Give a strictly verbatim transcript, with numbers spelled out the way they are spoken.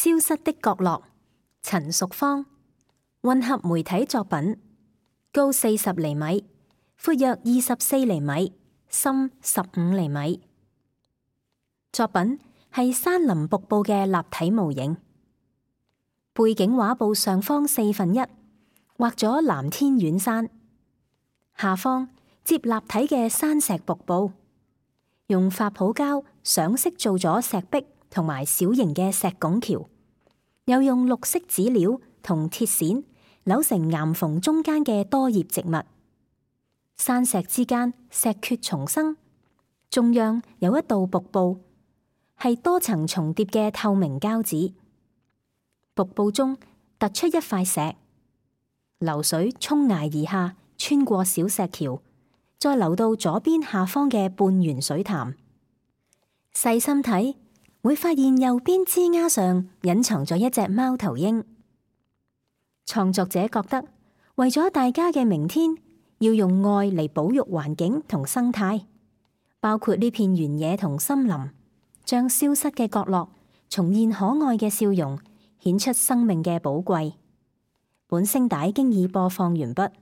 消失的角落，陳淑芳。混合媒體作品，高四十厘米，闊約二十四厘米，深十五厘米。作品係山林瀑布嘅立體模型。背景畫布上方四分一畫咗藍天遠山，下方接立體嘅山石瀑布，用發泡膠上色做咗石壁同埋小型嘅石拱橋，又用綠色紙料同鐵線扭成岩縫中間嘅多葉植物。山石之間石缺叢生，中央有一道瀑布，係多層重疊嘅透明膠紙。瀑布中突出一塊石，流水衝崖而下，穿過小石橋，再流到左邊下方嘅半圓水潭。細心睇，會發現右邊枝丫上隱藏咗一隻貓頭鷹。創作者覺得，為咗大家嘅明天，要用愛嚟保育環境同生態，包括呢片原野同森林，將消失嘅角落重現可愛嘅笑容，顯出生命嘅寶貴。本聲帶經已播放完畢。